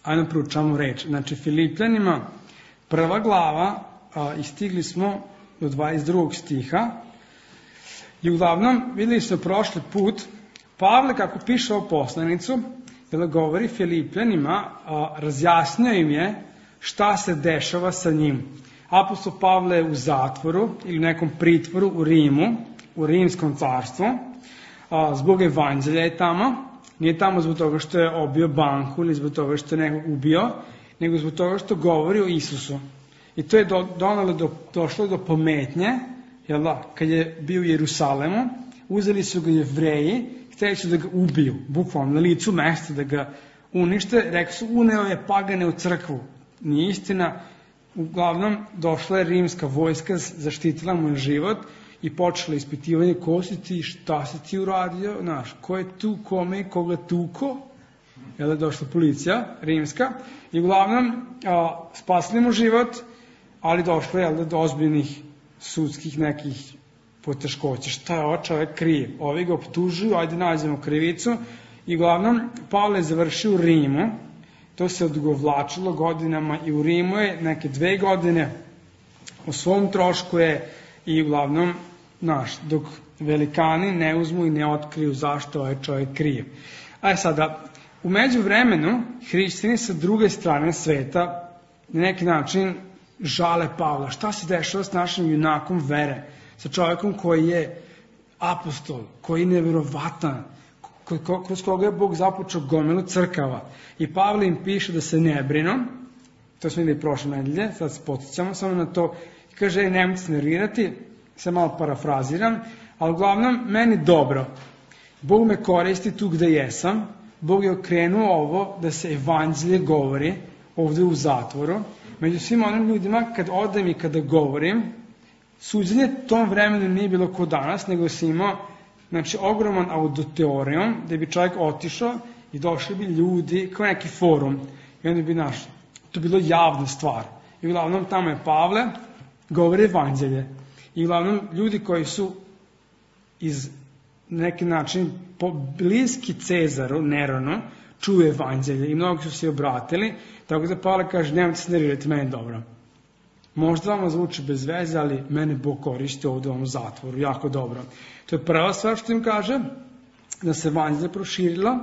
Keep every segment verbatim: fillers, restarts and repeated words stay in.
Ajde proučamo reč. Znači, Filipljanima prva glava a, i stigli smo do dvadeset drugog stiha. I uglavnom, videli smo prošli put, Pavle, kako piše ovu poslanicu, kada govori Filipljanima, a, razjasnio im je šta se dešava sa njim. Apostol Pavle je u zatvoru ili nekom pritvoru u Rimu, u Rimskom carstvu, a, zbog evanđelja je tamo. Nije tamo zbog toga što je obio banku ili zbog toga što je nekog ubio, nego zbog toga što govori o Isusu. I to je do, donalo do, došlo do pometnje, jel da, kad je bio u Jerusalemu, uzeli su ga Jevreji, htjeli su da ga ubiju, bukvalno na licu mesta da ga unište, rekli su, uneo je pagane u crkvu. Nije istina, uglavnom došla je rimska vojska, zaštitila mu život i počela ispitivanje ko si ti, šta si ti uradio, znaš, ko je tu, kome i koga tuko, jel je došla policija rimska, i uglavnom a, spasili mu život, ali došlo je do ozbiljnih sudskih nekih poteškoća. Šta je ovo čovek kriv? Ovi ga optužuju, ajde nađemo krivicu, i uglavnom Pavle je završio u Rimu, to se odugovlačilo godinama i u Rimu je neke dve godine, o svom trošku je i uglavnom, znaš, dok velikani ne uzmu i ne otkriju zašto ovaj čovjek kriv. Ajde sada, u međuvremenu, hrišćani sa druge strane sveta na neki način žale Pavla. Šta se dešava s našim junakom vere? Sa čovjekom koji je apostol, koji je nevjerovatan, kroz koga je Bog započeo gomilu crkava. I Pavle im piše da se ne brinu, to smo vidjeli prošle nedelje, sad se podsjećamo samo na to, i kaže, nemojte se nervirati, se malo parafraziram, ali uglavnom, meni dobro. Bog me koristi tu gde jesam, Bog je okrenuo ovo da se evanđelje govori ovde u zatvoru. Među svim onim ljudima, kad odem i kada govorim, suđenje tom vremenu nije bilo ko danas, nego si imao, znači, ogroman auditorijum, gde bi čovjek otišao i došli bi ljudi kao neki forum. I onda bi našli. To je bilo javna stvar. I uglavnom tamo je Pavle, govori evanđelje. I uglavnom ljudi koji su iz neki način bliski Cezaru, Neronu, čuju evanđelje i mnogi su se obratili, tako da Pavle kaže, nemojte se nervirati, meni dobro. Možda vam zvuči bez veze, ali mene Bog koristi ovdje u ovom zatvoru, jako dobro. To je prva stvar što im kaže, da se evanđelje proširila.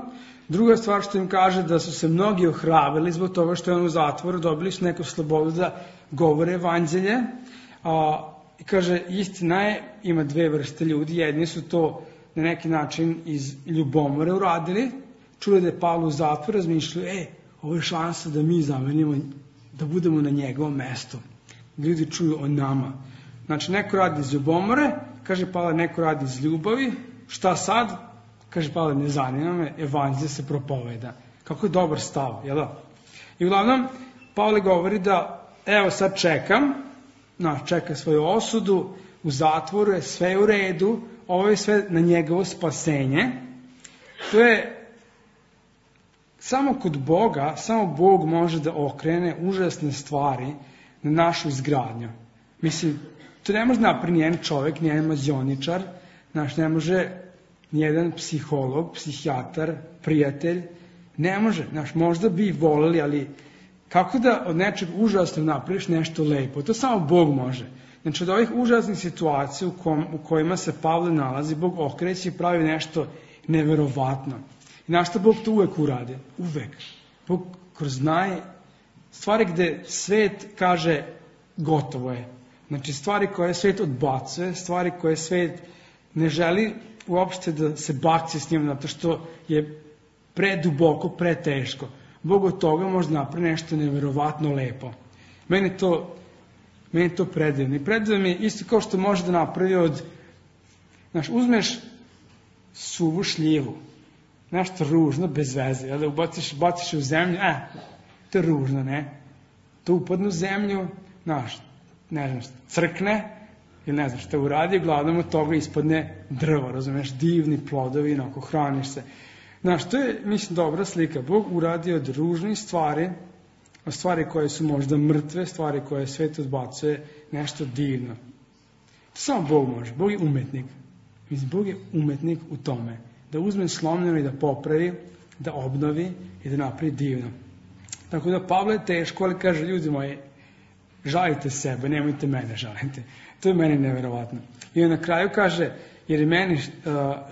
Druga stvar što im kaže, da su se mnogi ohrabrili zbog toga što je on u zatvoru, dobili su neku slobodu da govore evanđelje. A, i kaže, istina je, ima dve vrste ljudi, jedni su to na neki način iz ljubomore uradili, čuli da je Pavle u zatvoru, razmišljaju, e, ovo je šansa da mi zamenimo, da budemo na njegovom mestu. Ljudi čuju o nama. Znači, neko radi iz ljubomore, kaže Pavle, neko radi iz ljubavi, šta sad? Kaže Pavle, ne zanima me, evanđelje se propoveda. Kako je dobar stav, jel da? I uglavnom, Pavle govori da, evo sad čekam, na, čeka svoju osudu, u zatvoru je sve u redu, ovo je sve na njegovo spasenje. To je samo kod Boga, samo Bog može da okrene užasne stvari na našu izgradnju. Mislim, to ne može napraviti nijedan čovjek, nijedan mađioničar, znaš, ne može nijedan psiholog, psihijatar, prijatelj, ne može, znaš, možda bi voleli, ali kako da od nečeg užasnog napraviš nešto lepo? To samo Bog može. Znači, od ovih užasnih situacija u, kom, u kojima se Pavle nalazi, Bog okreće i pravi nešto neverovatno. I znaš što Bog to uvek uradi? Uvek. Bog kroz naj stvari gde svet kaže gotovo je. Znači, stvari koje svet odbacuje, stvari koje svet ne želi uopšte da se bakće s njim, zato što je preduboko, preteško. Bog od toga može napraviti nešto neverovatno lepo. Meni to, meni to predivno. I predivno mi isto kao što može da napravi od, znaš, uzmeš suvu šljivu, nešto ružno, bez veze, da ubaciš, baciš u zemlju, e, to je ružno, ne? To upadne u zemlju, znaš, ne znam, crkne, ili ne znam šta uradi, uglavnom od toga ispadne drvo, razumeš, divni plodovi, onako, hraniš se. Znaš, to je, mislim, dobra slika. Bog uradio od ružnih stvari, od stvari koje su možda mrtve, stvari koje svet odbacuje, nešto divno. To samo Bog može. Bog je umetnik. Mislim, Bog je umetnik u tome. Da uzme slomljeno i da popravi, da obnovi i da napravi divno. Tako da Pavle je teško, ali kaže, ljudi moji, žalite sebe, nemojte mene žalite. To je meni neverovatno. I on na kraju kaže, jer je meni uh,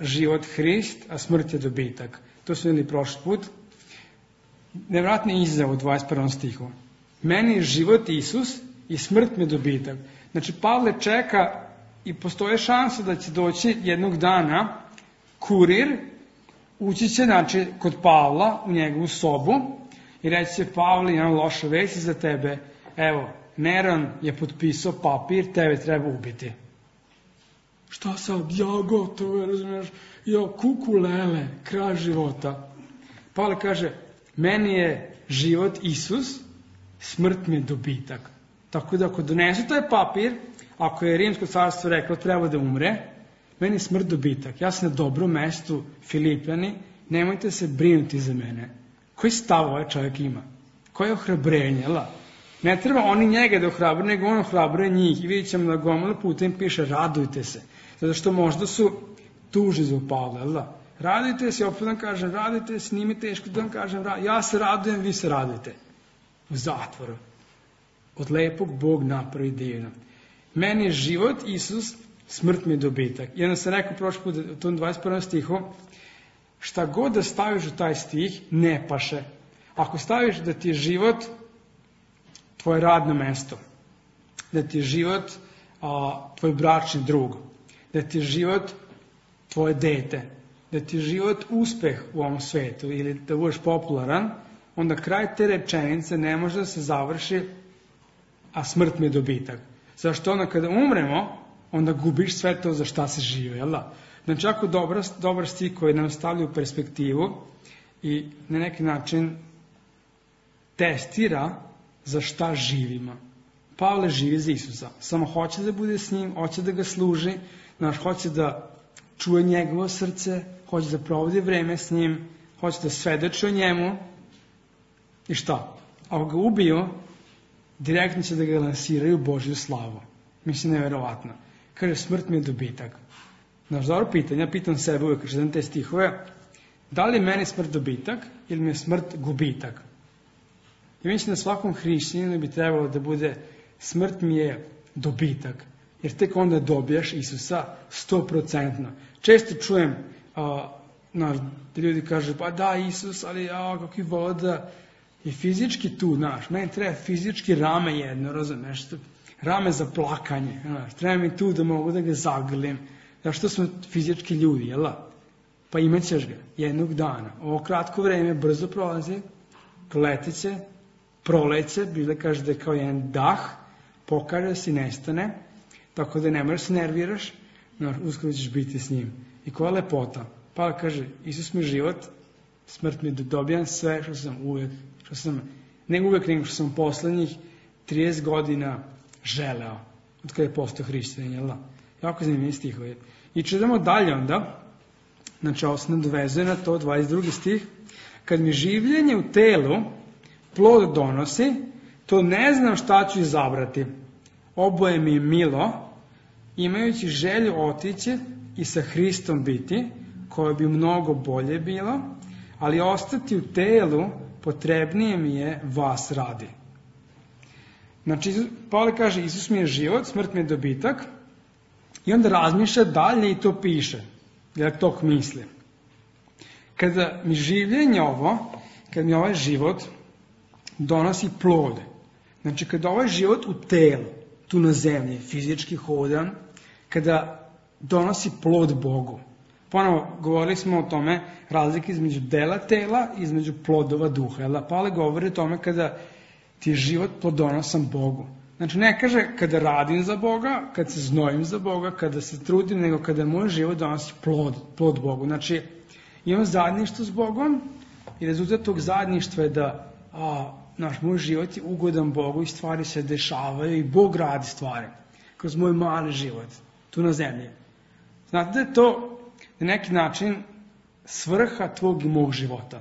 život Hrist, a smrt je dobitak. To smo vidjeli prošli put. Nevjerojatni izazov u dvadeset prvom stihu. Meni je život Isus i smrt mi je dobitak. Znači, Pavle čeka i postoje šansa da će doći jednog dana kurir, ući će, znači, kod Pavla u njegovu sobu i reći će, Pavle, imam loše vesti za tebe, evo, Neron je potpisao papir, tebe treba ubiti. Šta sad, ja gotovo, razumiješ, ja kukulele, kraj života. Pavle kaže, meni je život Isus, smrt mi je dobitak. Tako da ako donesu taj papir, ako je Rimsko carstvo reklo treba da umre, meni je smrt dobitak. Ja sam na dobrom mestu, Filipljani, nemojte se brinuti za mene. Koji stav ovaj čovjek ima? Koje ohrabrenje, la? Ne treba oni njega da ohrabre, nego on ohrabre njih. I vidjet ćemo da gomilu puta im piše, radujte se. Zato što možda su tuži za Pavla, la? Radujte se, opet vam kažem, radujte se, nije mi teško da vam kažem, ja se radujem, vi se radujte. U zatvoru. Od lepog Bog napravi divno. Meni je život Isus, smrt mi je dobitak. I onda sam rekao prošli put u tom dvadeset prvom stihu, šta god da staviš u taj stih, ne paše. Ako staviš da ti je život tvoje radno mesto, da ti je život a, tvoj bračni drug, da ti je život tvoje dete, da ti je život uspeh u ovom svetu ili da budeš popularan, onda kraj te rečenice ne može da se završi, a smrt mi je dobitak. Zašto onda kada umremo, onda gubiš sve to za šta se žive, jel da? Znači, ako dobar, dobar stih koji nam stavlja u perspektivu i na neki način testira za šta živimo. Pavle živi za Isusa. Samo hoće da bude s njim, hoće da ga služi, znaš, hoće da čuje njegovo srce, hoće da provodi vreme s njim, hoće da svedoči o njemu. I šta? Ako ga ubiju, direktno će da ga lansiraju u Božju slavu. Mislim, nevjerovatno. Kaže, smrt mi je dobitak. Znaš, dobro pitanje, ja pitam sebe uvijek, kad čitam te stihove, da li je meni smrt dobitak ili mi je smrt gubitak? I mislim da svakom hrišćaninu bi trebalo da bude smrt mi je dobitak. Jer tek onda dobijaš Isusa sto procentno. Često čujem a, na, da ljudi kažu, pa da, Isus, ali ja, kakvi voda, i fizički tu, znaš, meni treba fizički rame jedno, razumeš, rame za plakanje, znaš, treba mi tu da mogu da ga zagrlim, zašto smo fizički ljudi, jel? Pa imat ćeš ga jednog dana. Ovo kratko vreme brzo prolazi, letit će, proleće, bilo kaže da je kao jedan dah, pokaže se i nestane, tako da ne moraš se nerviraš, znaš, uskoro ćeš biti s njim. I koja lepota. Pa kaže, Isus mi je život, smrt mi je dobijam sve što sam uvek, što sam, ne uvek, nego što sam poslednjih trideset godina želeo, od kada je postao hrišćanin, jel da? Jako zanimljivi stihovi. I čitamo dalje onda, znači ovo se nadovezuje na to, dvadeset drugi stih, kad mi življenje u telu plod donosi, to ne znam šta ću izabrati. Oboje mi je milo, imajući želju otići i sa Hristom biti, koje bi mnogo bolje bilo, ali ostati u telu potrebnije mi je vas radi. Znači, Pavle kaže, Isus mi je život, smrt mi je dobitak, i onda razmišlja dalje i to piše, jer tok misli. Kada mi življenje ovo, kada mi ovaj život donosi plode, znači kada ovaj život u telu, tu na zemlji, fizički hodan, kada donosi plod Bogu. Ponovo, govorili smo o tome razlike između dela tela i između plodova duha. Jel? Pavle govori o tome kada ti je život plodonosan Bogu. Znači ne kaže kada radim za Boga, kada se znojim za Boga, kada se trudim, nego kada moj život donosi plod, plod Bogu. Znači imam zajedništvo s Bogom i rezultat tog zajedništva je da a, naš moj život je ugodan Bogu i stvari se dešavaju i Bog radi stvari kroz moj mali život tu na zemlji. Znate da je to na neki način svrha tvog i mog života.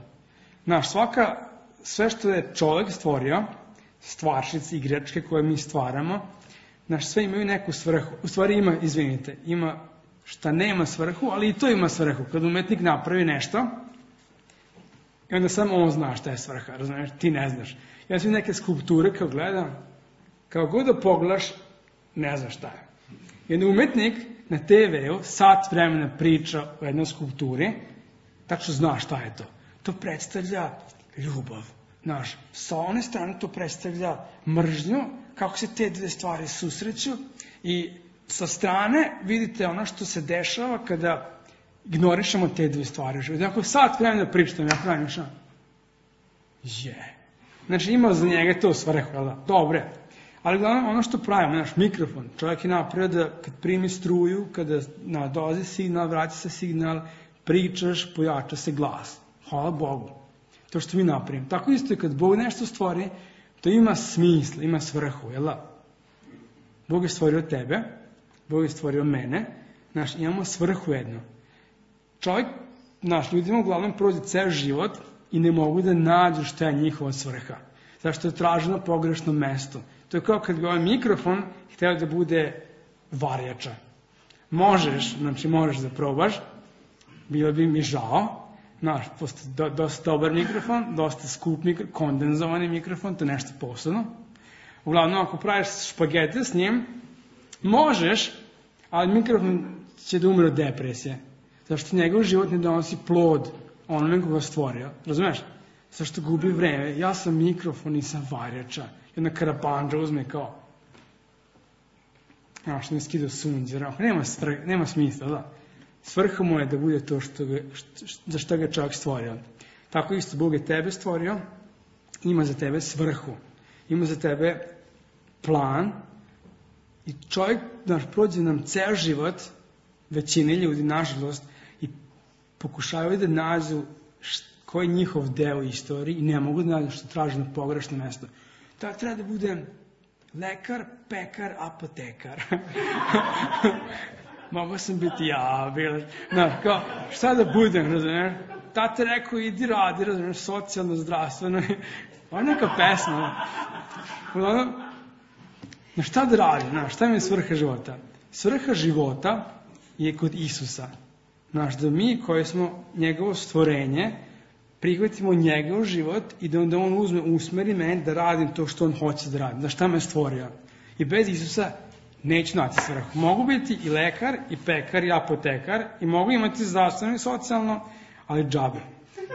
Znaš, svaka, sve što je čovjek stvorio, stvaršice, igračke koje mi stvaramo, znaš, sve imaju neku svrhu. U stvari ima, izvinite, ima šta nema svrhu, ali i to ima svrhu. Kad umetnik napravi nešto, I onda samo on zna šta je svrha, razumiješ, ti ne znaš. Ja sam neke skulpture kao gledam, kao god da pogledaš, ne znaš šta je. Jedan umetnik na te veu sat vremena priča o jednoj skulpturi, tačno zna šta je to. To predstavlja ljubav. Znaš, sa one strane to predstavlja mržnju, kako se te dve stvari susreću i sa strane vidite ono što se dešava kada ignorišemo te dve stvari. Ako sat vremena pričam, ja pravim šta? Je. Znači ima za njega to svrhu, jel da? Dobre. Ali glavno ono što pravimo, naš mikrofon, čovjek je napravio da kad primi struju, kada na dolazi signal, vraća se signal, pričaš, pojača se glas. Hvala Bogu. To što mi napravimo. Tako isto je kad Bog nešto stvori, to ima smisla, ima svrhu, jel da? Bog je stvorio tebe, Bog je stvorio mene, znaš, imamo svrhu jedno. Čovjek, naš, ljudima uglavnom prođe ceo život i ne mogu da nađu šta je njihova svrha. Zašto je traženo na pogrešnom mestu. To je kao kad bi ovaj mikrofon hteo da bude varjača. Možeš, znači možeš da probaš, bilo bi mi žao, znaš, postoji do, dosta dobar mikrofon, dosta skup mikrofon, kondenzovani mikrofon, to je nešto posebno. Uglavnom, ako praviš špagete s njim, možeš, ali mikrofon će da umre od depresije. Zašto njegov život ne donosi plod onome koga stvorio. Razumeš? Zašto gubi vreme? Ja sam mikrofon i sam varjača. Jedna karapanđa uzme kao znaš, ne skida sunđe. Nema, nema smisla, da. Svrha mu je da bude to što ga, što, za što ga čovjek stvorio. Tako isto Bog je tebe stvorio, ima za tebe svrhu. Ima za tebe plan i čovjek, znaš, prođe nam ceo život, većine ljudi, nažalost, i pokušavaju da nađu koji je njihov deo istoriji i ne mogu da nađu što traže na pogrešno mesto. Da treba da bude lekar, pekar, apotekar. Mogu sam biti ja, bila, znaš, kao, šta da budem, razumiješ? Tate rekao, idi radi, razumiješ, socijalno, zdravstveno. Ovo je neka pesma. Uglavnom, na šta da radi, znaš, šta mi je svrha života? Svrha života je kod Isusa. Znaš, da mi koji smo njegovo stvorenje, prihvatimo njegov život i da onda on uzme, usmeri mene da radim to što on hoće da radim, da šta me stvorio. I bez Isusa neću naći svrhu. Mogu biti i lekar, i pekar, i apotekar, i mogu imati zdravstveno i socijalno, ali džabe.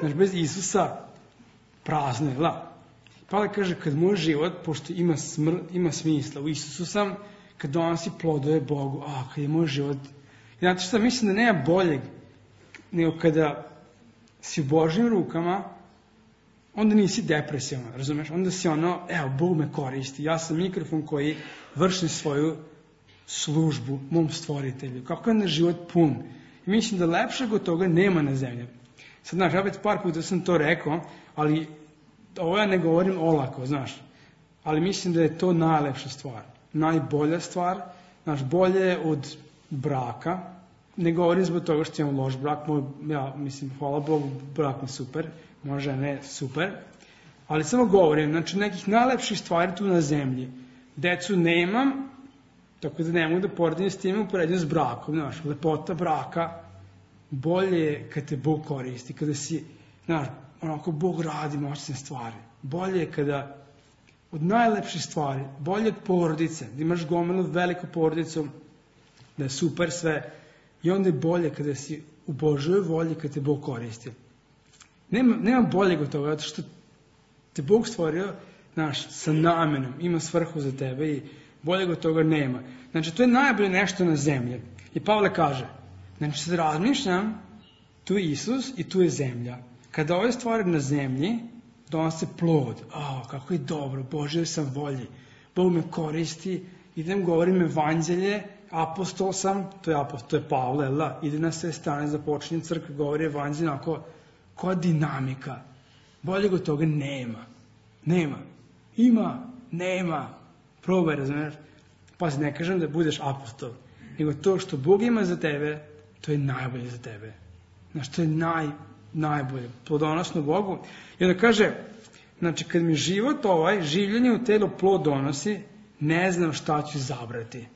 Znaš, bez Isusa prazno je, la. Pavle kaže, kad moj život, pošto ima, smr, ima smisla, u Isusu sam, kad donosi plodove Bogu, a, kad je moj život. I znate šta, mislim da nema boljeg, nego kada si u Božjim rukama, onda nisi depresivan, razumeš? Onda si ono, evo, Bog me koristi, ja sam mikrofon koji vrši svoju službu mom stvoritelju. Kako je na život pun. I mislim da lepšeg od toga nema na zemlji. Sad, znaš, opet par puta sam to rekao, ali ovo ja ne govorim olako, znaš. Ali mislim da je to najlepša stvar. Najbolja stvar, znaš, bolje od braka. Ne govorim zbog toga što imam loš brak, moj, ja mislim, hvala Bogu, brak mi super, možda ne super, ali samo govorim, znači nekih najlepših stvari tu na zemlji. Decu nemam, tako da ne mogu da poredim s tim, uporedim s brakom, znaš, lepota braka, bolje je kad te Bog koristi, kada si, znaš, onako Bog radi moćne stvari. Bolje je kada, od najlepših stvari, bolje od porodice, da imaš gomilu veliku porodicu, da je super sve, i onda je bolje kada si u Božoj volji, kada te Bog koristi. Nema, nema boljeg od toga, zato što te Bog stvorio, znaš, sa namenom, ima svrhu za tebe i boljeg od toga nema. Znači, to je najbolje nešto na zemlji. I Pavle kaže, znači, sad razmišljam, tu je Isus i tu je zemlja. Kada ove stvari na zemlji, donose plod. O, kako je dobro, Božoj sam volji. Bog me koristi, idem, govorim evanđelje, apostol sam, to je apostol, to je Pavle, la, ide na sve strane, započinje crkva, govori evanđelje, onako, koja dinamika. Boljeg od toga nema. Nema. Ima, nema. Probaj, razumiješ? Pa se ne kažem da budeš apostol, nego to što Bog ima za tebe, to je najbolje za tebe. Znaš, to je naj, najbolje. Plodonosno Bogu. I onda kaže, znači, kad mi život ovaj, življenje u telo plod donosi, ne znam šta ću zabrati.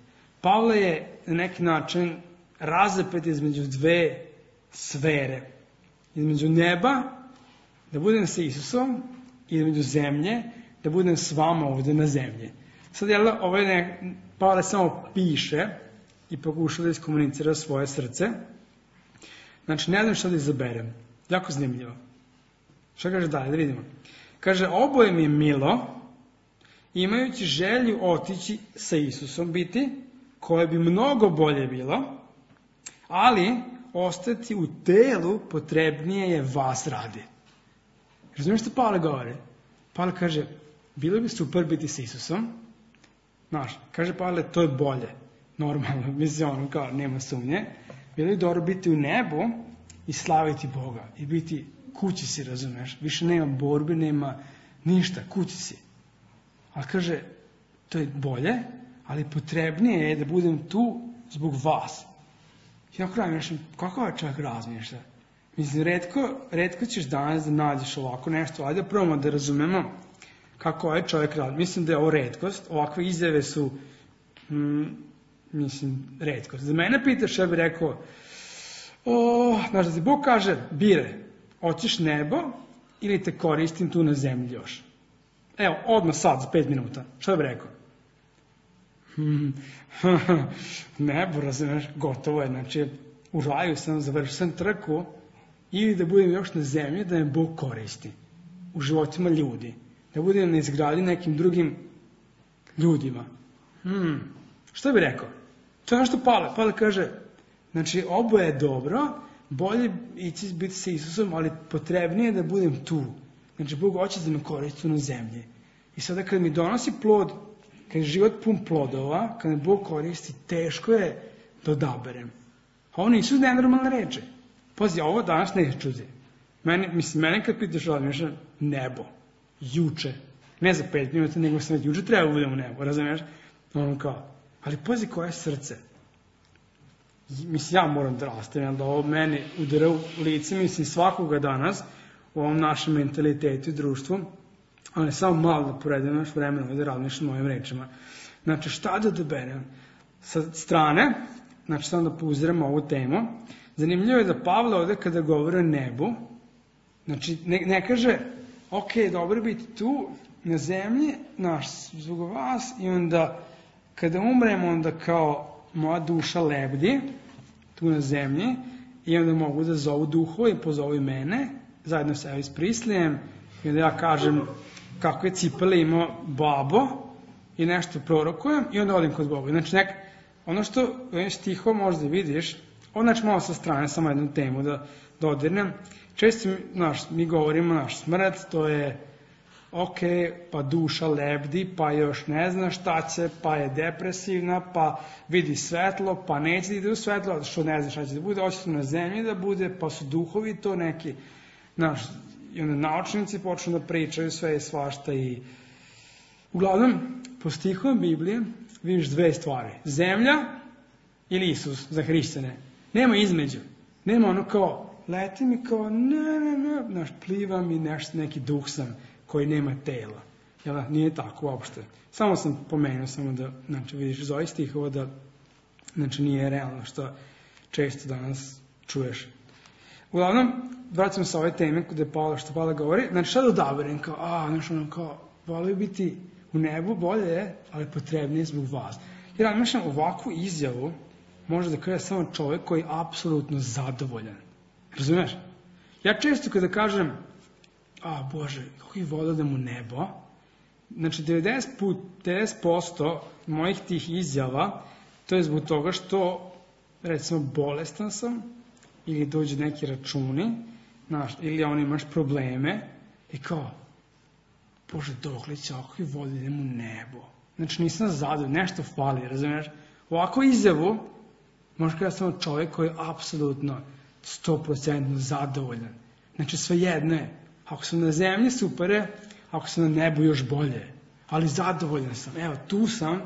Pavle je na neki način razapet između dve sfere. Između neba da budem sa Isusom i do zemlje, da budem s vama ovde na zemlji. Sad, jel, ovaj ne, Pavle samo piše i pokuša da iskomunicira svoje srce. Znači, ne znam šta da izaberem. Jako zanimljivo. Šta kaže dalje? Da vidimo. Kaže, oboje mi je milo, imajući želju otići sa Isusom biti, koje bi mnogo bolje bilo, ali ostati u telu potrebnije je vas radi. Razumiješ što Pavle govori? Pavle kaže, bilo bi super biti sa Isusom. Znaš, kaže Pavle, to je bolje. Normalno, mislim, ono kao, nema sumnje. Bilo bi dobro biti u nebu i slaviti Boga. I biti kući si, razumiješ? Više nema borbe, nema ništa, kući si. Ali kaže, to je bolje, ali potrebnije je da budem tu zbog vas. I ako razmišljam, kako ovaj čovjek razmišlja? Mislim, redko, redko ćeš danas da nađeš ovako nešto. Ajde da probamo da razumemo kako ovaj čovjek radi. Mislim da je ovo retkost. Ovakve izjave su, mm, mislim, retkost. Za mene pitaš, ja bih rekao, o, znaš da ti Bog kaže, bire, hoćeš nebo ili te koristim tu na zemlji još? Evo, odmah sad, za pet minuta. Šta bih rekao? Nebo, razumiješ, gotovo je. Znači, u raju sam, završio sam trku, ili da budem još na zemlji, da me Bog koristi u životima ljudi. Da budem na izgradi nekim drugim ljudima. Hmm. Šta bih rekao? To je ono što Pavle. Pavle kaže, znači, oboje je dobro, bolje ići biti sa Isusom, ali potrebnije da budem tu. Znači, Bog hoće da me koristi na zemlji. I sada kad mi donosi plod, kad je život pun plodova, kad me Bog koristi, teško je da odaberem. A ovo nisu nenormalne reči. Pazi, ovo danas ne čuti. Mene, mislim, mene kad pitaš razmišljam, nebo, juče, ne za pet minuta, nego sam već juče treba budem u nebo, razumiješ? Ono kao, ali pazi koje je srce. Mislim, ja moram da rastem, da ovo meni udara u lice, mislim, svakoga danas, u ovom našem mentalitetu i društvu, ali samo malo da poredem naš vremena da razmišljam o ovim rečima. Znači, šta da doberem? Sa strane, znači, samo da pouziramo ovu temu, zanimljivo je da Pavle ovde kada govori o nebu, znači, ne, ne kaže, ok, dobro biti tu, na zemlji, naš, zbog vas, i onda, kada umremo, onda kao moja duša lebdi, tu na zemlji, i onda mogu da zovu duhove i pozovu i mene, zajedno sa Elvis Preslejem, i onda ja kažem kako je cipele imao babo i nešto prorokujem i onda odim kod Boga. Znači, nek, ono što ovim stihom možda vidiš, ovo znači malo sa strane, samo jednu temu da dodirnem. Često naš, mi govorimo naš smrt, to je ok, pa duša lebdi, pa još ne zna šta će, pa je depresivna, pa vidi svetlo, pa neće da ide u svetlo, što ne zna šta će da bude, hoće su na zemlji da bude, pa su duhovi to neki, naš, i onda naučnici počnu da pričaju sve i svašta i uglavnom, po stihom Biblije vidiš dve stvari. Zemlja ili Isus za hrišćane. Nema između. Nema ono kao, leti mi kao, ne, ne, ne, znaš, plivam i nešto, neki duh sam koji nema tela. Jel, nije tako uopšte. Samo sam pomenuo, samo da, znači, vidiš iz ovih stihova da, znači, nije realno što često danas čuješ. Uglavnom, vraćam se ove teme kod je Pavle, što Pavle govori, znači šta da odaberem, kao, a, znači ono kao, volio biti u nebu, bolje je, ali potrebnije zbog vas. Jer razmišljam, ovakvu izjavu može da kaže samo čovjek koji je apsolutno zadovoljan. Razumiješ? Ja često kada kažem, a Bože, kako ih volio da mu nebo, znači devedeset posto mojih tih izjava, to je zbog toga što, recimo, bolestan sam, ili dođu neki računi, znaš, ili on imaš probleme, i kao, Bože, dokle će ako ih voli idem u nebo. Znači, nisam zadovoljan, nešto fali, razumiješ? Ovako izjavu, možda kada sam čovjek koji je apsolutno sto posto zadovoljan. Znači, svejedno je. Ako sam na zemlji, super je, ako sam na nebu, još bolje. Ali zadovoljan sam. Evo, tu sam,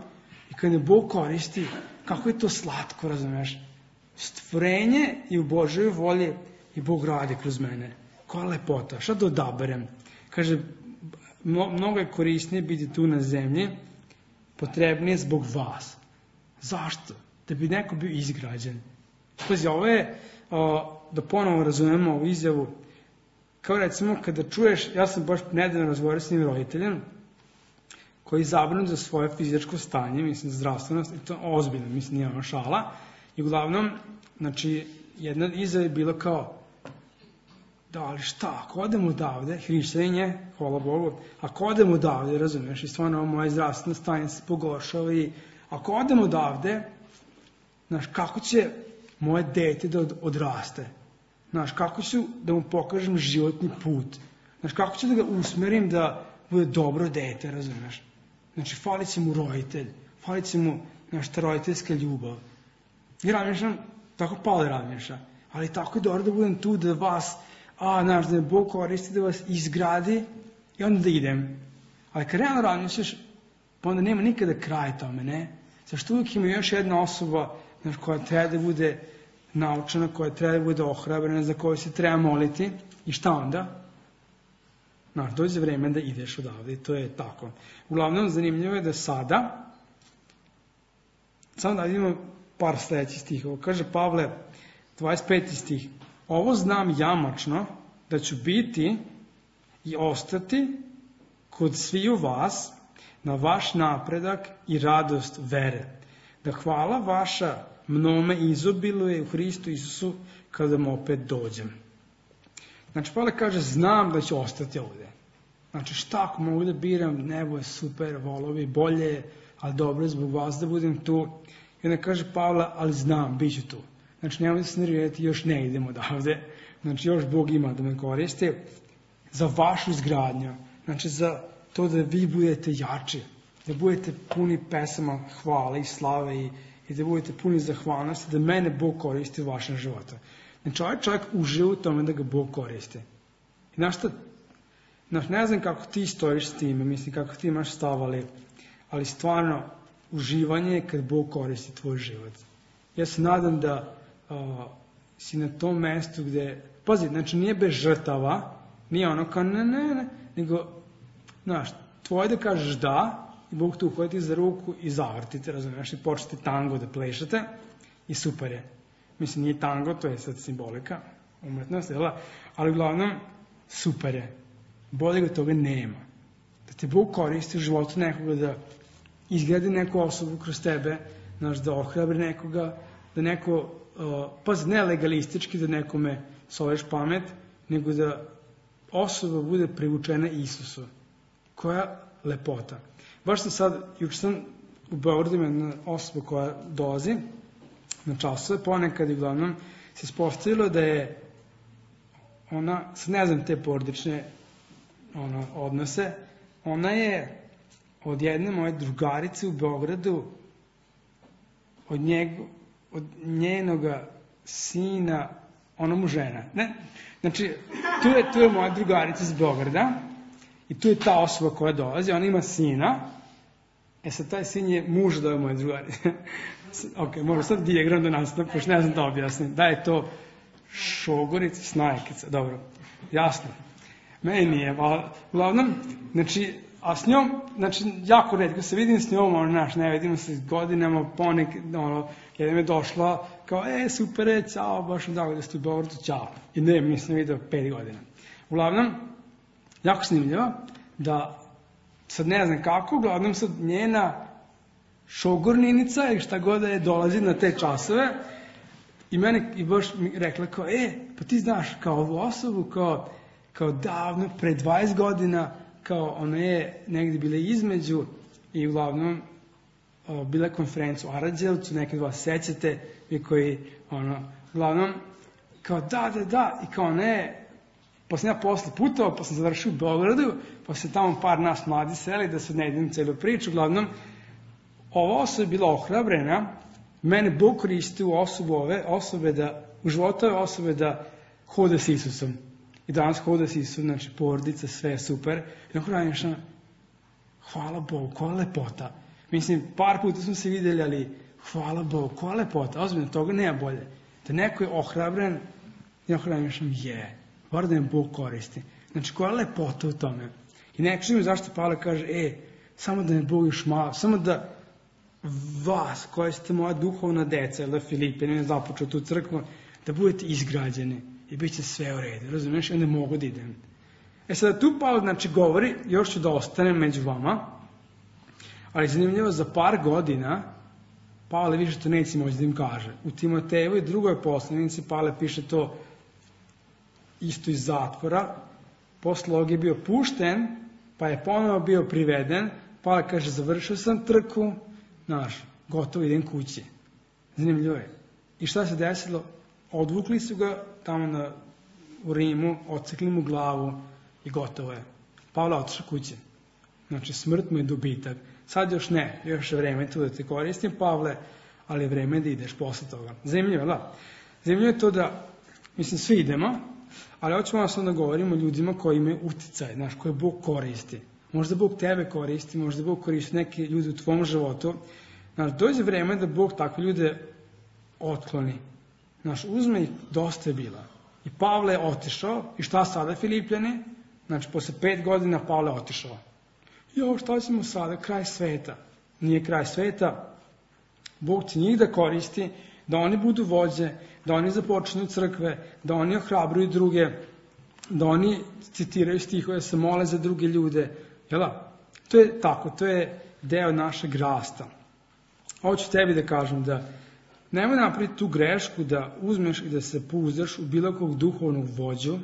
i kad me Bog koristi, kako je to slatko, razumiješ? Stvorenje i u Božoj volji i Bog radi kroz mene. Koja lepota, šta da odaberem? Kaže, mnogo je korisnije biti tu na zemlji, potrebnije zbog vas. Zašto? Da bi neko bio izgrađen. Pazi, ovo je, da ponovo razumemo ovu izjavu, kao recimo kada čuješ, ja sam baš nedavno razgovarao s njim roditeljem, koji je zabrinut za svoje fizičko stanje, mislim, zdravstvenost, i to ozbiljno, mislim, nije ono šala, i uglavnom, znači, jedna izjava je bila kao, da, ali šta, ako odem odavde, hrišćanin, hvala Bogu, ako odem odavde, razumiješ, i stvarno ovo moje zdravstveno stanje se pogoršava, i ako odem odavde, znaš, kako će moje dete da odraste? Znaš, kako ću da mu pokažem životni put? Znaš, kako ću da ga usmerim da bude dobro dete, razumiješ? Znači, falit će mu roditelj, falit će mu, znaš, ta roditeljska ljubav. I razmišljam, tako Pavle razmišlja, ali tako je dobro da budem tu, da vas, a, znaš, da me Bog koristi, da vas izgradi i onda da idem. Ali kad realno razmišljaš, pa onda nema nikada kraj tome, ne? Zašto uvijek ima još jedna osoba, znaš, koja treba da bude naučena, koja treba da bude ohrabrena, za koju se treba moliti, i šta onda? Znaš, dođe vreme da ideš odavde i to je tako. Uglavnom, zanimljivo je da sada, samo da vidimo par sledećih stihova. Kaže Pavle, dvadeset peti stih, ovo znam jamačno, da ću biti i ostati kod sviju vas na vaš napredak i radost vere. Da hvala vaša mnome izobiluje u Hristu Isusu kada mu opet dođem. Znači, Pavle kaže, znam da ću ostati ovde. Znači, šta ako mogu da biram, nebo je super, volovi, bolje, ali dobro je zbog vas da budem tu. I onda kaže Pavle, ali znam, bit ću tu. Znači, nemoj da se nervirati, još ne idem odavde. Znači, još Bog ima da me koristi za vašu izgradnju. Znači, za to da vi budete jači, da budete puni pesama hvale i slave i, i da budete puni zahvalnosti, da mene Bog koristi u vašem životu. Znači, ovaj čovjek uživa u tome da ga Bog koristi. I znaš šta, znaš, ne znam kako ti stojiš s time, mislim kako ti imaš stav, ali, ali stvarno uživanje je kad Bog koristi tvoj život. Ja se nadam da uh, si na tom mestu gde, pazi, znači nije bez žrtava, nije ono kao ne, ne, ne, nego, znaš, tvoje da kažeš da, i Bog tu uhvati za ruku i zavrtite, razumiješ, i počnete tango da plešate i super je. Mislim, nije tango, to je sad simbolika, umetnost, jel? Ali uglavnom, super je. Bolje ga toga nema. Da te Bog koristi u životu nekoga, da izgradi neku osobu kroz tebe, znaš, da ohrabri nekoga, da neko, uh, pa ne legalistički, da nekome soleš pamet, nego da osoba bude privučena Isusu. Koja lepota. Baš sam sad, juče sam u Beogradu ima jedna osoba koja dolazi na časove, ponekad i uglavnom se ispostavilo da je ona, sad ne znam te porodične ono, odnose, ona je od jedne moje drugarice u Beogradu, od, njeg, od njenoga sina, ona mu žena. Ne? Znači, tu je, tu je moja drugarica iz Beograda i tu je ta osoba koja dolazi, ona ima sina, e sad taj sin je muž da je moja drugarica. Ok, možda sad dijagram da nastavim, pošto ne znam da objasnim. Da je to šogorica, snajkica, dobro, jasno. Meni nije, ali uglavnom, znači, a s njom, znači, jako redko se vidim s njom, ono, naš, ne vidimo se godinama, ponek, ono, jedan je došla, kao, e, super je, ćao, baš mi drago da ste u Beogradu, ćao. I ne, nisam vidio pet godina. Uglavnom, jako snimljivo, da, sad ne znam kako, uglavnom sad njena šogorninica ili šta god da je dolazi na te časove i mene i baš mi rekla kao, e, pa ti znaš kao ovu osobu, kao, kao davno, pre dvadeset godina, kao ona je negdje bila između i uglavnom o, bila je konferencija u Aranđelovcu, neki od vas sećate, vi koji, ono, uglavnom, kao da, da, da, i kao ona je, pa sam ja posle putovao, pa sam završio u Beogradu, pa se tamo par nas mladi seli, da se ne idem celu priču, uglavnom, ova osoba je bila ohrabrena, mene Bog koristi u osobu ove osobe da, u životu ove osobe da hoda s Isusom. I danas hoda s Isusom, znači porodica, sve je super. I nakon radnješna, hvala Bogu, koja lepota. Mislim, par puta smo se videli, ali hvala Bogu, koja lepota. Ozbiljno, toga nema bolje. Da neko je ohrabren, i nakon radnješna je, bar da me Bog koristi. Znači, koja lepota u tome. I neko čujem zašto Pavle kaže, e, samo da me Bog još malo, samo da vas, koji ste moja duhovna deca, ili Filipe, ne započeo tu crkvu, da budete izgrađeni. i bit će sve u redu, razumiješ, i onda mogu da idem. E sada tu Pavle, znači, govori, još ću da ostanem među vama, ali zanimljivo, za par godina Pavle više to neće moći da im kaže. U Timotejevoj drugoj poslanici Pavle piše to isto iz zatvora, posle ovog je bio pušten, pa je ponovo bio priveden, Pavle kaže, završio sam trku, znaš, gotovo idem kući. Zanimljivo je. I šta se desilo? Odvukli su ga tamo na, u Rimu, odsekli mu glavu i gotovo je. Pavle otišao kući. Znači, smrt mu je dobitak. Sad još ne, još je vreme tu da te koristim, Pavle, ali je vreme da ideš posle toga. Zanimljivo, da. Zanimljivo je to da, mislim, svi idemo, ali hoćemo vas onda govorimo o ljudima koji imaju uticaj, znaš, koje Bog koristi. Možda Bog tebe koristi, možda Bog koristi neke ljudi u tvom životu. Znaš, dođe vreme da Bog takve ljude otkloni. Znaš, uzme ih, dosta je bila. I Pavle je otišao, i šta sada, Filipljani? Znači, posle pet godina Pavle je otišao. Jo, šta ćemo sada? Kraj sveta. Nije kraj sveta. Bog će njih da koristi, da oni budu vođe, da oni započnu crkve, da oni ohrabruju druge, da oni citiraju stihove, da se mole za druge ljude. Jel da? To je tako, to je deo našeg rasta. Hoću tebi da kažem da nemoj napraviti tu grešku da uzmeš i da se pouzdaš u bilo kog duhovnog vođu,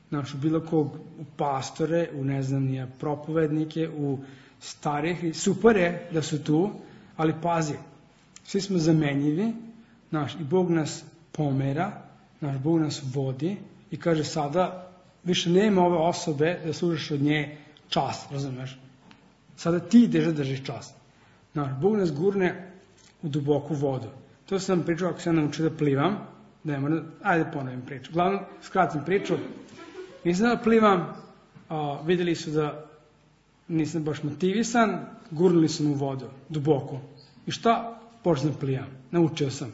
znači u bilo kog u pastore, u ne znam nije propovednike, u starih, super je da su tu, ali pazi, svi smo zamenjivi, znaš, i Bog nas pomera, naš Bog nas vodi i kaže sada više nema ove osobe da služaš od nje čast, razumeš? Sada ti ideš da držiš čast. Znaš, Bog nas gurne u duboku vodu. To sam pričao ako sam naučio da plivam, da ne moram, ajde ponovim priču. Glavno, skratim priču, nisam da plivam, a, vidjeli su da nisam baš motivisan, gurnuli su mu u vodu, duboko. I šta? Počnem da plivam. Naučio sam.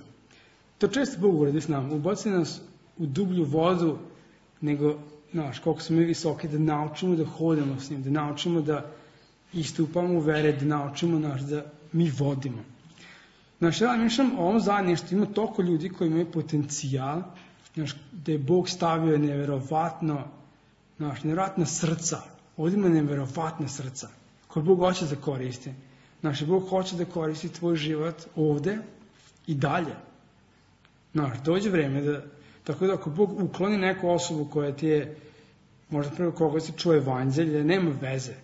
To često Bog uradi s nama. Ubaci nas u dublju vodu, nego, znaš, koliko smo mi visoki, da naučimo da hodamo s njim, da naučimo da istupamo u vere, da naučimo, znaš, da mi vodimo. Znaš, ja mišljam o ovom zajedništvu, ima toliko ljudi koji imaju potencijal, znaš, da je Bog stavio neverovatno, znaš, neverovatna srca. Ovdje ima neverovatna srca, koje Bog hoće da koristi. Znaš, Bog hoće da koristi tvoj život ovde i dalje. Znaš, dođe vreme da, tako da ako Bog ukloni neku osobu koja ti je, možda prvo koga se čuje evanđelje, nema veze.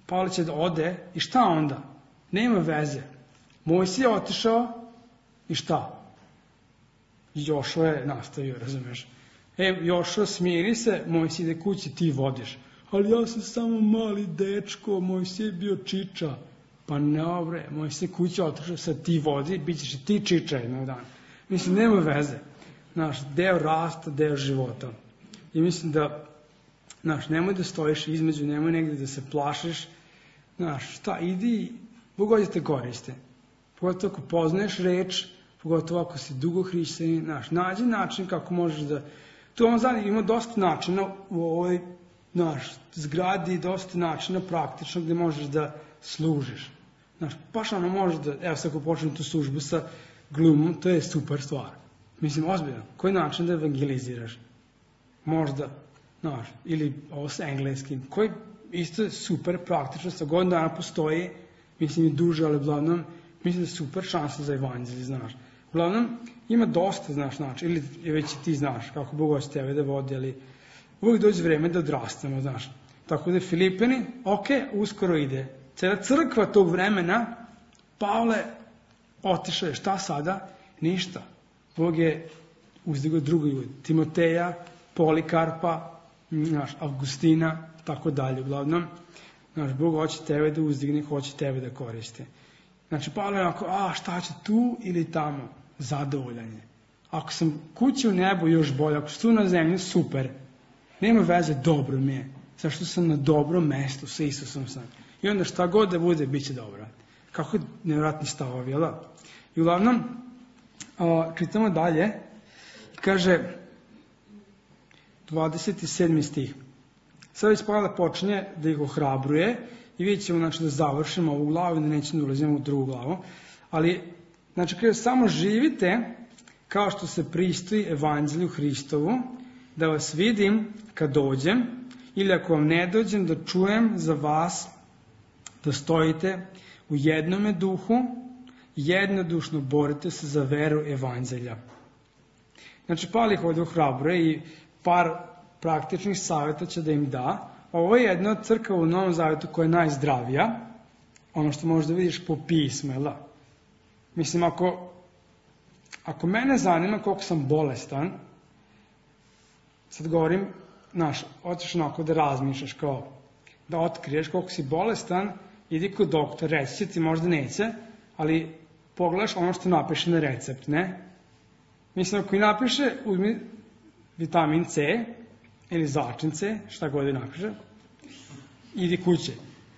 Pavle će da ode i šta onda? Nema veze. Mojsije je otišao i šta? Jošo je nastavio, razumeš? E, Jošo, smiri se, Mojsije ide kući, ti vodiš. Ali ja sam samo mali dečko, Mojsije je bio čiča. Pa ne, bre, Mojsije kući otišao, sad ti vodi, bit ćeš i ti čiča jednog dana. Mislim, nema veze. Znaš, deo rasta, deo života. I mislim da, znaš, nemoj da stojiš između, nemoj negdje da se plašiš. Znaš, šta, idi, Bog hoće te koriste. Pogotovo ako poznaješ reč, pogotovo ako si dugo hrišćanin, znaš, nađi način kako možeš da... Tu vam zadnji ima dosta načina u ovoj, znaš, zgradi, dosta načina praktično gdje možeš da služiš. Znaš, baš ono možeš da, evo sad ako počnem tu službu sa glumom, to je super stvar. Mislim, ozbiljno, koji način da evangeliziraš? Možda, znaš, ili ovo sa engleskim, koji isto je super praktično, sa godinu dana postoji, mislim i duže, ali uglavnom, mislim da je super šansa za evanđelje, znaš. Uglavnom, ima dosta, znaš, znači, ili već i ti znaš kako Bog hoće tebe da vodi, ali uvijek dođe vreme da odrastamo, znaš. Tako da Filipini, ok, uskoro ide. Cijela crkva tog vremena, Pavle otišao je, šta sada? Ništa. Bog je uzdigao drugi ljudi, Timoteja, Polikarpa, znaš, Avgustina, tako dalje, uglavnom. Znaš, Bog hoće tebe da uzdigne, hoće tebe da koriste. Znači, Pavle je onako, a šta će tu ili tamo? Zadovoljanje. Ako sam kući u nebu, još bolje. Ako sam tu na zemlji, super. Nema veze, dobro mi je. Zašto sam na dobrom mestu sa Isusom sam. I onda šta god da bude, bit će dobro. Kako je nevjerojatni stavovi, jel da? I uglavnom, a, čitamo dalje. Kaže, dvadeset sedmi stih. Sad već Pavle počinje da ih ohrabruje i vidjet ćemo, znači, da završimo ovu glavu i da nećemo da ulazimo u drugu glavu. Ali, znači, kaže, samo živite kao što se pristoji evanđelju Hristovu da vas vidim kad dođem, ili ako vam ne dođem, da čujem za vas da stojite u jednome duhu, jednodušno borite se za veru evanđelja. Znači, Pavle ih ovdje ohrabruje i par praktičnih savjeta će da im da. Ovo je jedna od crkava u Novom Zavetu koja je najzdravija, ono što možda vidiš po pismu, jel da? Mislim, ako, ako mene zanima koliko sam bolestan, sad govorim, znaš, hoćeš onako da razmišljaš, kao da otkriješ koliko si bolestan, idi kod doktora, reći će ti, možda neće, ali pogledaš ono što napiše na recept, ne? Mislim, ako i napiše, uzmi vitamin C, ili začin C, šta god je napiše, idi kuće.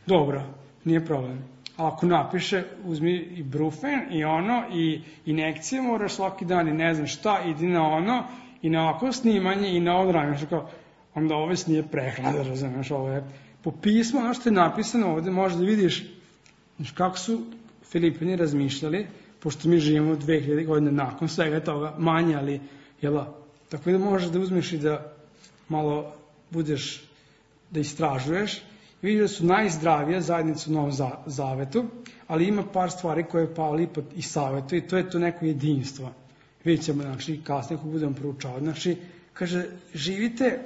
Dobro, nije problem. A ako napiše, uzmi i brufen, i ono, i injekcije moraš svaki dan, i ne znam šta, idi na ono, i na ovako snimanje, i na ovo ranje, kao, onda ovo nije prehrana, da razumeš, ovo je po pismu, ono što je napisano ovde, možda vidiš kako su Filipini razmišljali, pošto mi živimo dve hiljade godine nakon svega toga, manje, ali, jel, tako da možeš da uzmeš i da malo budeš, da istražuješ, vidiš da su najzdravije zajednice u Novom Zavetu, ali ima par stvari koje je Pavle ipak i savjetuje, i to je to neko jedinstvo. Vidjet ćemo, znači, kasnije ako budemo proučavati. Znači, kaže, živite,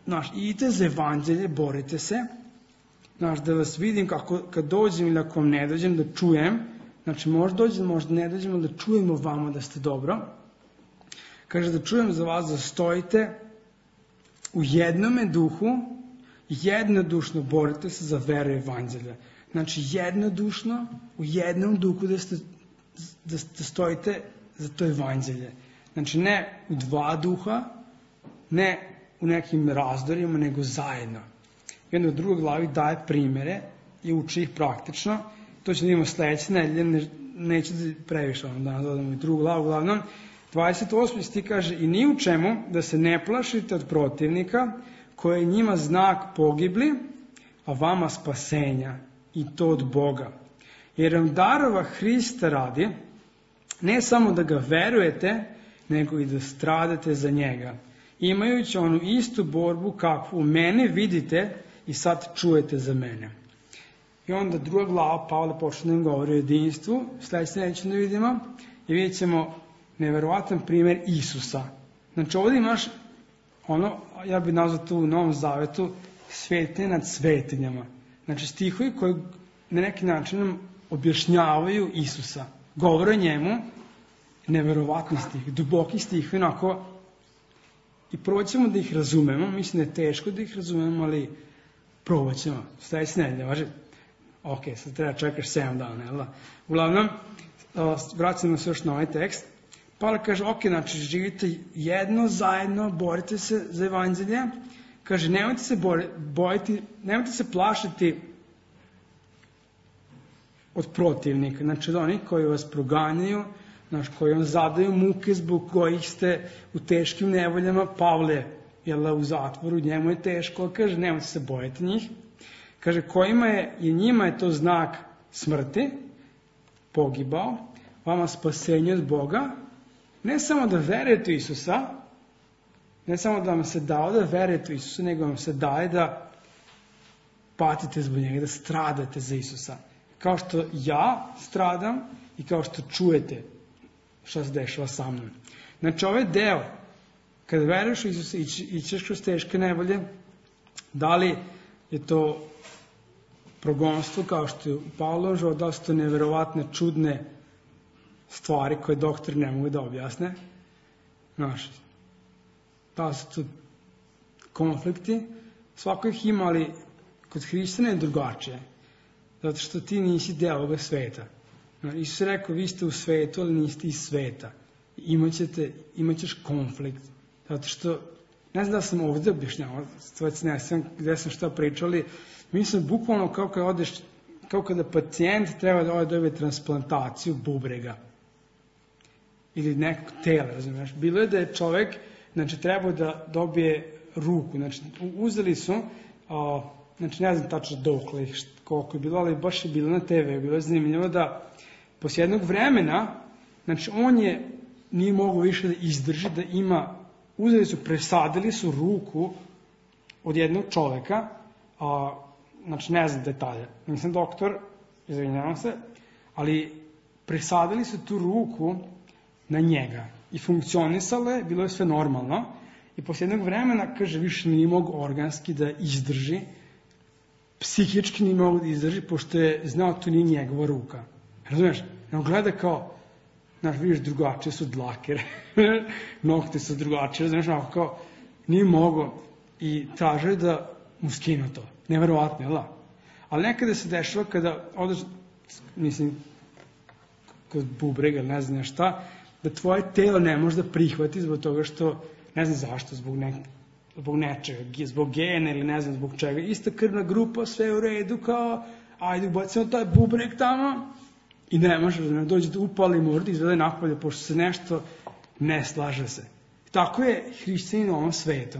znaš, idite za evanđelje, borite se, znaš, da vas vidim kako, kad dođem ili ako vam ne dođem, da čujem, znači, možda dođem, možda ne dođem, ali da čujemo vama da ste dobro. Kaže, da čujem za vas da stojite u jednome duhu, jednodušno borite se za veru evanđelja. Znači, jednodušno, u jednom duhu da, ste, da, da stojite za to evanđelje. Znači, ne u dva duha, ne u nekim razdorima, nego zajedno. I onda u drugoj glavi daje primere i uči ih praktično. To će da imamo sledeće nedelje, ne, neću da previše vam danas dodamo i drugu glavu. Uglavnom, dvadeset osmi stih kaže, i ni u čemu da se ne plašite od protivnika, koji je njima znak pogibli, a vama spasenja, i to od Boga. Jer vam darova Hrista radi, ne samo da ga verujete, nego i da stradate za njega, imajući onu istu borbu kakvu u mene vidite i sad čujete za mene. I onda druga glava, Pavle počne da im govori o jedinstvu, sledeće neće da vidimo, i vidjet ćemo neverovatan primjer Isusa. Znači, ovdje imaš ono, ja bih nazvao tu u Novom Zavetu, svetinje nad svetinjama. Znači, stihovi koji na neki način nam objašnjavaju Isusa. Govore o njemu, neverovatni stih, duboki stih, onako, i probat ćemo da ih razumemo. Mislim da je teško da ih razumemo, ali probat ćemo. Sledeće nedelje, važi? Ok, sad treba čekaš sedam dana, jel da? Uglavnom, vraćamo se još na ovaj tekst. Pavle kaže, ok, znači živite jedno, zajedno, borite se za evanđelje. Kaže, nemojte se bojiti, nemojte se plašiti od protivnika, znači od onih koji vas proganjaju, znači koji vam zadaju muke zbog kojih ste u teškim nevoljama. Pavle je u zatvoru, njemu je teško, kaže, nemojte se bojiti njih. Kaže, kojima je, i njima je to znak smrti, pogibao, vama spasenje od Boga. Ne samo da verujete u Isusa, ne samo da vam se dao da verujete u Isusa, nego vam se daje da patite zbog njega, da stradate za Isusa. Kao što ja stradam i kao što čujete šta se dešava sa mnom. Znači, ovaj deo, kada veruješ u Isusa i ćeš kroz teške nevolje, da li je to progonstvo, kao što je u Pavlovom životu, da su to neverovatne, čudne stvari koje doktori ne mogu da objasne. Znaš, da su to konflikti, svako ih ima, ali kod Hristana je drugačije. Zato što ti nisi deo ovoga sveta. Isus je rekao, vi ste u svetu, ali niste iz sveta. Imaćete, imaćeš konflikt. Zato što, ne znam da sam ovdje objašnjavao, stvarci ne znam gde sam šta pričali, mislim, bukvalno kao kada odeš, kao kada pacijent treba da ode dobije transplantaciju bubrega. Ili nekog tela, razumiješ. Bilo je da je čovek, znači, trebao da dobije ruku. Znači, uzeli su, a, znači, ne znam tačno dokle ih, koliko je bilo, ali baš je bilo na te ve, bilo je zanimljivo da posle jednog vremena, znači, on je nije mogao više da izdrži, da ima uzeli su, presadili su ruku od jednog čoveka, a, znači ne znam detalje, nisam doktor, izvinjavam se, ali presadili su tu ruku na njega i funkcionisale, bilo je sve normalno i posle jednog vremena, kaže, više nije mogo organski da izdrži, psihički nije mogo da izdrži, pošto je znao to nije njegova ruka. Razumeš? Nego gleda kao, znaš, vidiš, drugačije su dlake, nokte su drugačije, znaš, onako kao, nije mogo i tražaju da mu skinu to. Neverovatno, jel da? Ali nekada se dešava kada odeš, mislim, kod bubrega, ne znam šta, da tvoje telo ne može da prihvati zbog toga što, ne znam zašto, zbog, ne, zbog nečega, zbog gena ili ne znam zbog čega. Ista krvna grupa, sve u redu, kao, ajde, ubacimo taj bubreg tamo i ne može da ne dođe da upali morda i izvede napolje, pošto se nešto ne slaže se. Tako je hrišćanin u ovom svetu.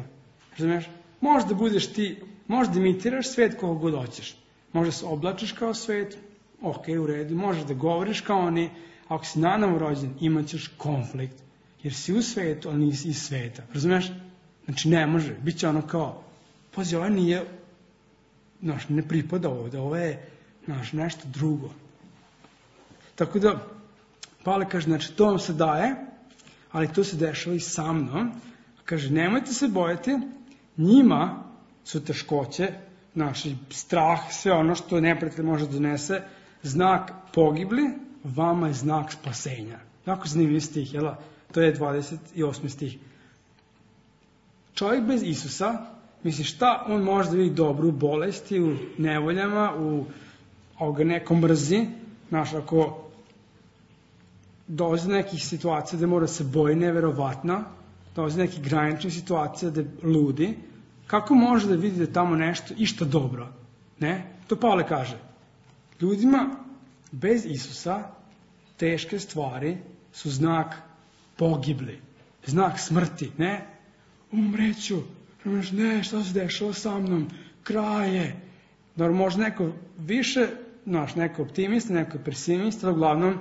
Razumiješ? Možeš da budeš ti, možeš da imitiraš svet koga god hoćeš. Možeš da se oblačiš kao svet, ok, u redu, možeš da govoriš kao oni, ako si nanovo rođen, imat ćeš konflikt, jer si u svetu, ali nisi iz sveta. Razumiješ? Znači, ne može. Biće ono kao, pazi, ovo nije, znaš, ne pripada ovde, ovo je, znaš, nešto drugo. Tako da, Pavle kaže, znači, to vam se daje, ali to se dešava i sa mnom. Kaže, nemojte se bojati, njima su teškoće, naši strah, sve ono što neprijatelj može da donese, znak pogibli, vama je znak spasenja. Jako zanimljiv stih, jel? To je dvadeset osmi stih. Čovjek bez Isusa, misli šta on može da vidi dobro u bolesti, u nevoljama, u ovoga nekom mrzi, znaš, ako dolazi do nekih situacija gde mora se boji neverovatno, dolazi do nekih graničnih situacija gde ludi, kako može da vidi da tamo nešto išta dobro? Ne? To Pavle kaže. Ljudima bez Isusa teške stvari su znak pogibli, znak smrti, ne? Umreću, ne, šta se dešava sa mnom, kraj je. Dobro, možda neko više, znaš, neko optimista, neko pesimista, ali uglavnom,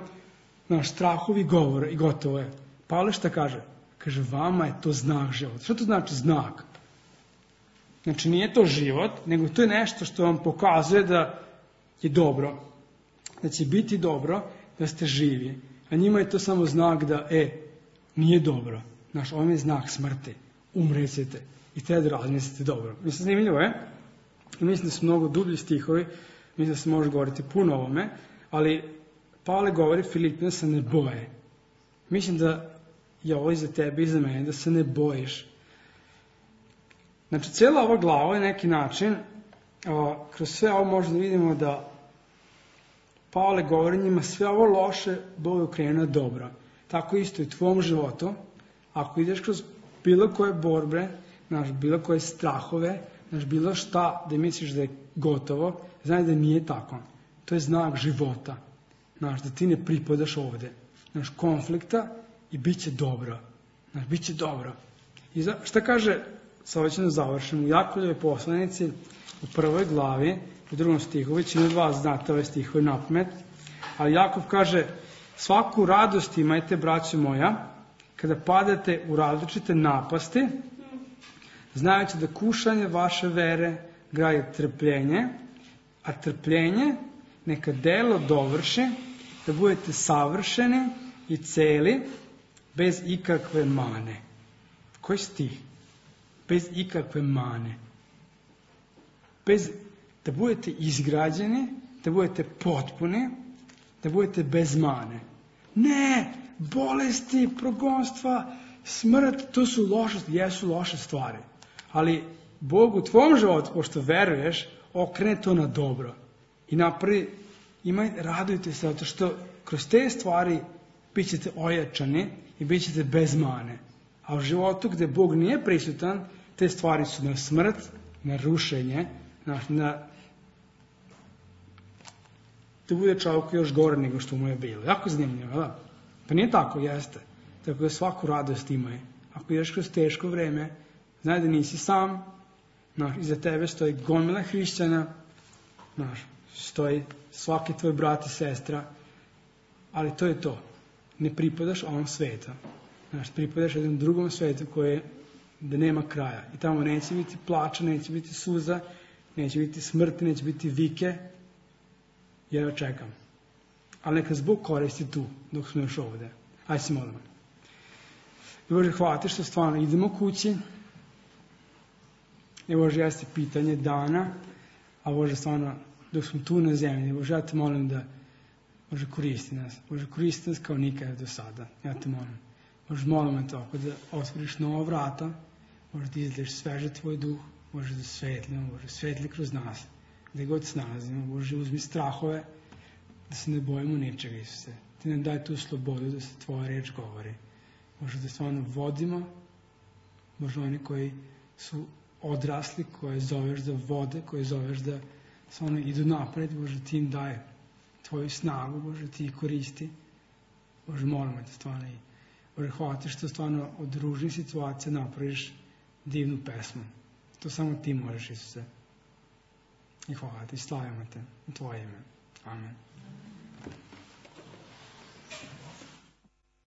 znaš, strahovi govora i gotovo je. Pavle šta kaže? Kaže, vama je to znak života. Što to znači znak? Znači, nije to život, nego to je nešto što vam pokazuje da je dobro, da će biti dobro, da ste živi. A njima je to samo znak da, e, nije dobro. Znaš, ovo je znak smrti. Umrećete i treba da razmislite dobro. Mislim, zanimljivo je, i mislim da su mnogo dublji stihovi, mislim da se može govoriti puno o ovome, ali Pavle govori Filipima da se ne boje. Mislim da je ovo i za tebe i za mene, da se ne bojiš. Znači, cijela ova glava je neki način, o, kroz sve ovo možemo da vidimo da Pavle govori njima sve ovo loše, Bog je okrenuo dobro. Tako isto i u tvom životu, ako ideš kroz bilo koje borbe, znaš, bilo koje strahove, znaš, bilo šta da misliš da je gotovo, znaš da nije tako. To je znak života. Znaš, da ti ne pripadaš ovde. Znaš, konflikta i bit će dobro. Znaš, bit će dobro. I za, šta kaže, sa ovo ćemo da završimo, u Jakovljevoj poslanici, u prvoj glavi, u drugom stihu, većina od vas znate ove stihove napamet, ali Jakov kaže, svaku radost imajte, braćo moja, kada padate u različite napasti, znajući da kušanje vaše vere graje trpljenje, a trpljenje neka delo dovrši, da budete savršeni i celi, bez ikakve mane. Koji stih? Bez ikakve mane. Bez, da budete izgrađeni, da budete potpuni, da budete bez mane. Ne! Bolesti, progonstva, smrt, to su loše, jesu loše stvari. Ali Bog u tvom životu, pošto veruješ, okrene to na dobro. I napravi, imaj, radujte se, zato što kroz te stvari bit ćete ojačani i bit ćete bez mane. A u životu gde Bog nije prisutan, te stvari su na smrt, na rušenje, na, na da bude čovjek još gore nego što mu je bilo. Jako zanimljivo, da? Pa nije tako, jeste. Tako da svaku radost imaj. Ako ideš kroz teško vreme, znaj da nisi sam, znaš, iza tebe stoji gomila hrišćana, znaš, stoji svaki tvoj brat i sestra, ali to je to. Ne pripadaš ovom svetu. Znaš, pripadaš jednom drugom svetu koji je da nema kraja. I tamo neće biti plača, neće biti suza, neće biti smrti, neće biti vike. Ja čekam. Ali neka Bog koristi tu, dok smo još ovde. Ajde se molimo. I Bože, hvala ti što stvarno idemo kući. I Bože, jeste pitanje dana, a Bože, stvarno, dok smo tu na zemlji, Bože, ja te molim da Bože, koristi nas. Bože, koristi nas kao nikada do sada. Ja te molim. Bože, molim me tako da otvoriš nova vrata, Bože, da izliješ sveže tvoj duh, Bože, da svetlimo, Bože, svetli kroz nas, gde god se nalazimo, Bože, uzmi strahove, da se ne bojimo ničega, Isuse. Ti nam daj tu slobodu da se tvoja reč govori. Bože, da stvarno vodimo, Bože, oni koji su odrasli, koje zoveš da vode, koje zoveš da stvarno idu napred, Bože, ti im daje tvoju snagu, Bože, ti ih koristi. Bože, molimo te stvarno i Bože, hvala ti što stvarno od ružnih situacija napraviš divnu pesmu. To samo ti možeš, Isuse. I hvala ti, slavimo te u tvoje ime. Amen.